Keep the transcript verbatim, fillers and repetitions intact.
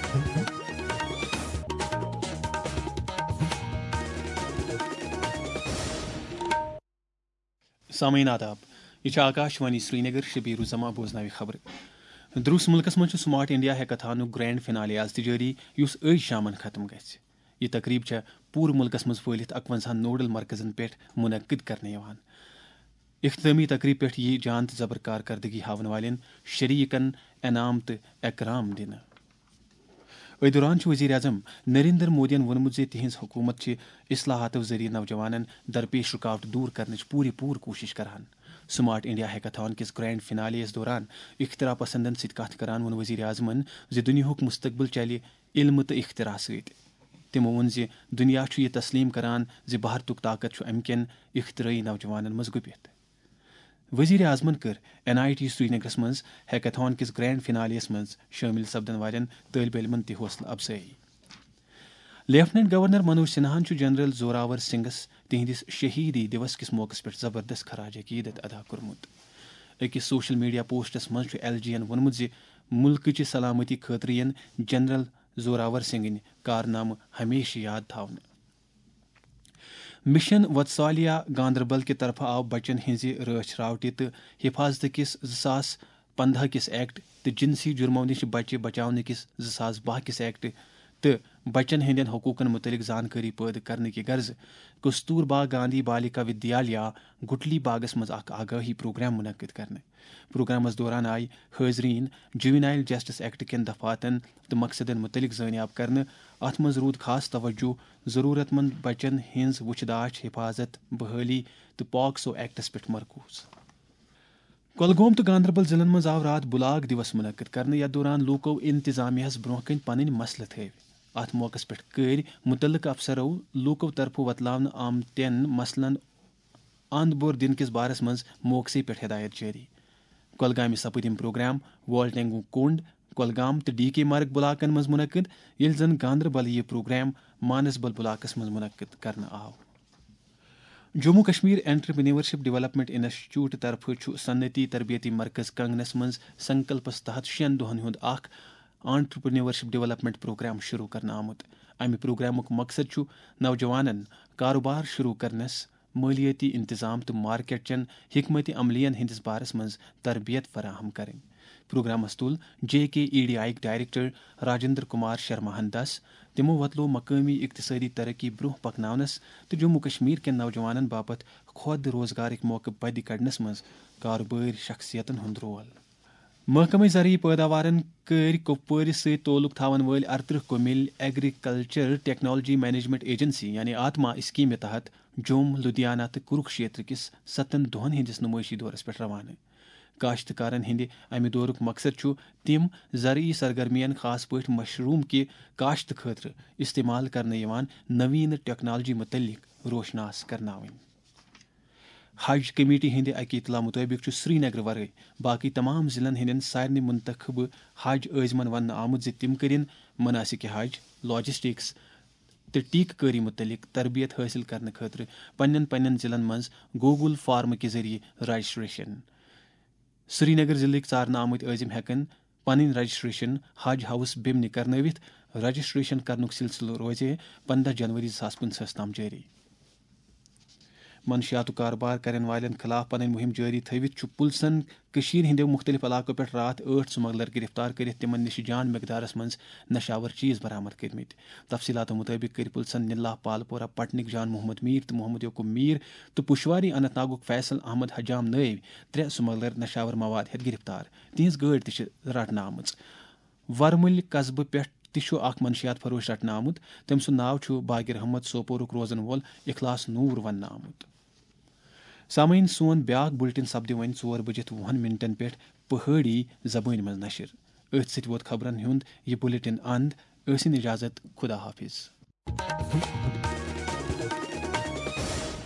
سامعین آداب، یہِ چھِ آکاش وانی سرینگر، شبیر الزمان بوزناوِ خبرٕ۔ دروس مُلکس منٛز چھُ سمارٹ انڈیا ہیکاتھانُک گرینڈ فنالے آز تہِ جٲری، یُس أزۍ شامن ختم گژھِ۔ یہِ تقریب چھےٚ پوٗرٕ مُلکس منٛز پھٔہلِتھ اَکوَنزاہن نوڈل مرکزن پٮ۪ٹھ منعقد کرنہٕ یِوان۔ اختتٲمی تقریب پٮ۪ٹھ یِیہِ جان تہٕ زبر کارکردگی ہاوَن والٮ۪ن شریٖکن انعام تہٕ اکرام دِنہٕ۔ أتھۍ دوران چھُ وزیر اعظم نریندر مودیَن ووٚنمُت زِ تِہنٛز حکوٗمت چھِ اصلاحاتو ذٔریعہٕ نوجوانَن درپیش رُکاوٹہٕ دوٗر کرنٕچ پوٗرٕ پوٗرٕ کوٗشش کران۔ سمارٹ انڈیا ہیکاتھان کِس گرینڈ فنالے یَس دوران اختراع پسندن سۭتۍ کتھ کران ووٚن وزیر اعظمَن زِ دُنیاہُک مستقبل چلہِ علمہٕ تہٕ اختراع سۭتۍ۔ تِمو ووٚن زِ دُنیا چھُ یہِ تسلیم کران زِ بھارتُک طاقت چھُ امہِ کٮ۪ن اختراعی نوجوانَن منٛز گُپِتھ۔ وزیر اعظمن کٔر این آئی ٹی سرینگرس منٛز ہیکاتھان کِس گرینڈ فنالے یَس منٛز شٲمِل سپدن والٮ۪ن طٲلبہِ علمن تہِ حوصلہٕ افزٲیی۔ لیفٹیننٹ گورنر منوج سنہاہن چھُ جنرل زوراور سنگھس تِہنٛدِس شہیدی دیوس کِس موقعس پٮ۪ٹھ زبردست خراج عقیدت ادا کوٚرمُت۔ أکِس سوشل میڈیا پوسٹس منٛز چھُ ایل جی ین ووٚنمُت زِ مُلکٕچہِ سلامتی خٲطرٕ یِن جنرل زوراور سنگھٕنۍ کارنامہٕ ہمیشہٕ یاد تھاونہٕ۔ مشن وتسالیا گاندربل کہِ طرفہٕ آو بچن ہٕنٛزِ رٲچھ راوٹہِ تہٕ حفاظتہٕ کِس زٕ ساس پندہ کِس ایکٹ تہٕ جنسی جرمو نِش بچہِ بچاونہٕ کِس زٕ ساس باہ کِس ایکٹ تہٕ بچن ہٕنٛدٮ۪ن حقوٗقن مُتعلق زانکٲری پٲدٕ کرنہٕ کہِ غرضہٕ کستوربا گاندھی بالیکا ودیالیا گٹلی باغس منٛز اکھ آگاہی پروگرام منعقد کرنہٕ۔ پروگرامس دوران آیہِ حٲضریٖن جوینائل جسٹس ایکٹ کٮ۪ن دفعاتن تہٕ مقصدن مُتعلق زٲنیاب کرنہٕ۔ اتھ منٛز روٗد خاص توجہ ضروٗرت مند بچن ہٕنٛز وُچھ داچھ، حفاظت، بحٲلی تہٕ پاکسو ایکٹس پٮ۪ٹھ مرکوز۔ کۄلگوم تہٕ گاندربل ضلعن منٛز آو راتھ بلاک دیوس منعقد کرنہٕ، یتھ دوران لوٗکو انتظامیہس برونٛہہ کنہِ پنٕنۍ مسلہٕ تھٲوۍ۔ اتھ موقعس پٮ۪ٹھ کٔرۍ مُتعلقہٕ افسرو لوٗکو طرفہٕ وۄتلاونہٕ آمتٮ۪ن مسلن اند بور دِنہٕ کِس بارس منٛز موقعسٕے پٮ۪ٹھ ہدایت جٲری۔ کۄلگامہِ سپٕدۍ یِم پروگرام والٹینگو کُنڈ، کۄلگام تہٕ ڈی کے مرگ بلاکن منٛز منعقد، ییٚلہِ زن گاندربل یہِ پروگرام مانسبل بلاکس منٛز منعقد کرنہٕ آو۔ Jammu Kashmir entrepreneurship development institute طرفہٕ چھُ صنعتی تربیتی مرکز کنگنس منٛز سنکلپس تحت شٮ۪ن دۄہن ہُنٛد اکھ انٹرپرینیورشپ ڈیولپمنٹ پروگرام شروع کرنہٕ آمُت۔ امہِ پروگرامُک مقصد چھُ نوجوانن کاروبار شروع کرنس، مٲلیٲتی انتظام تہٕ مارکیٹ چٮ۪ن حکمت عملین ہٕنٛدِس بارس منٛز تربیت فراہم کرٕنۍ۔ پروگرامس تُل J K E D I یٕکۍ ڈائریکٹر راجندر کمار شرماہن دس۔ تِمو وۄتلوو مقٲمی اقتصٲدی ترقی برونٛہہ پکناونس تہٕ جموں کشمیر کٮ۪ن نوجوانن باپتھ خۄد روزگارٕکۍ موقعہٕ پدِ کڑنس منٛز کارٕبٲرۍ شخصیتن ہُنٛد رول۔ محکمہٕ زرعی پٲداوارن کٔرۍ کۄپوٲرِس سۭتۍ تعلق تھاون وٲلۍ ارترٕہ کُمِلۍ ایگریکلچر ٹیکنالوجی مینجمنٹ ایجنسی یعنی آتما اسکیمہِ تحت جوم، لدھیانہ تہٕ کروکشیتر کِس ستن دۄہن ہٕنٛدِس نُمٲیشی دورس پٮ۪ٹھ روانہٕ۔ کاشتکارن ہٕنٛدِ امہِ دورُک مقصد چھُ تِم زرعی سرگرمین، خاص پٲٹھۍ مشروم کہِ کاشتہٕ خٲطرٕ استعمال کرنہٕ یِوان نوین ٹیکنالوجی متعلق روشناس کرناوٕنۍ۔ حج کمیٹی ہٕنٛدِ اکہِ اطلاع مُطٲبِق چھُ سرینگر ورٲے باقٕے تمام ضلعن ہٕنٛدٮ۪ن سارنٕے منتخبہٕ حج عٲزمن وننہٕ آمُت زِ تِم کٔرِن مناسک حج، لاجسٹکس تہٕ ٹیکہٕ کٲری مُتعلق تربیت حٲصِل کرنہٕ خٲطرٕ پننٮ۪ن پننٮ۪ن ضلعن منٛز گوگل فارم کہِ ذٔریعہٕ رجسٹریشن۔ سرینگر ضلعٕکۍ ژارنہٕ آمٕتۍ عٲزم ہٮ۪کن پنٕنۍ رجسٹریشن حج ہاؤس بیمنہِ کرنٲوِتھ۔ رجسٹریشن کرنُک سلسلہٕ روزِ پندہ جنوری زٕ ساس پٕنٛژٕہس تام جٲری۔ منشیاتُک کاربار کرن والٮ۪ن خلاف پنٕنۍ مُہِم جٲری تھٲوِتھ چھُ پُلسن کٔشیٖرِ ہٕنٛدیو مُختٔلِف علاقو پٮ۪ٹھ راتھ ٲٹھ سمگلر گرفتار کٔرِتھ تِمن نِش جان مقدارس منٛز نشاور چیز برآمد کٔرمٕتۍ۔ تفصیلاتو مُطٲبِق کٔرۍ پُلسن نِلا پالپورہ پٹنٕکۍ جان محمد میٖر تہٕ محمد یعقوب میٖر تہٕ پُشواری اننت ناگُک فیصل احمد حجام نٲوۍ ترٛےٚ سمگلر نشاور مواد ہٮ۪تھ گرفتار۔ تِہنٛز گٲڑۍ تہِ چھِ رٹنہٕ آمٕژ۔ ورمُلۍ قصبہٕ پٮ۪ٹھ تہِ چھُ اکھ منشیات فروش رٹنہٕ آمُت۔ تٔمۍ سُنٛد ناو چھُ باقر احمد سوپورُک روزن وول اخلاص نوٗر وننہٕ آمُت۔ سامعین، سون بیاکھ بُلٹن سپدِ وۄنۍ ژور بٔجِتھ وُہن منٹن پٮ۪ٹھ پہٲڑی زبٲنۍ منٛز نشر۔ أتھۍ سۭتۍ ووت خبرن ہُنٛد یہِ بُلٹن اند۔ ٲسِن اجازت، خدا حافظ۔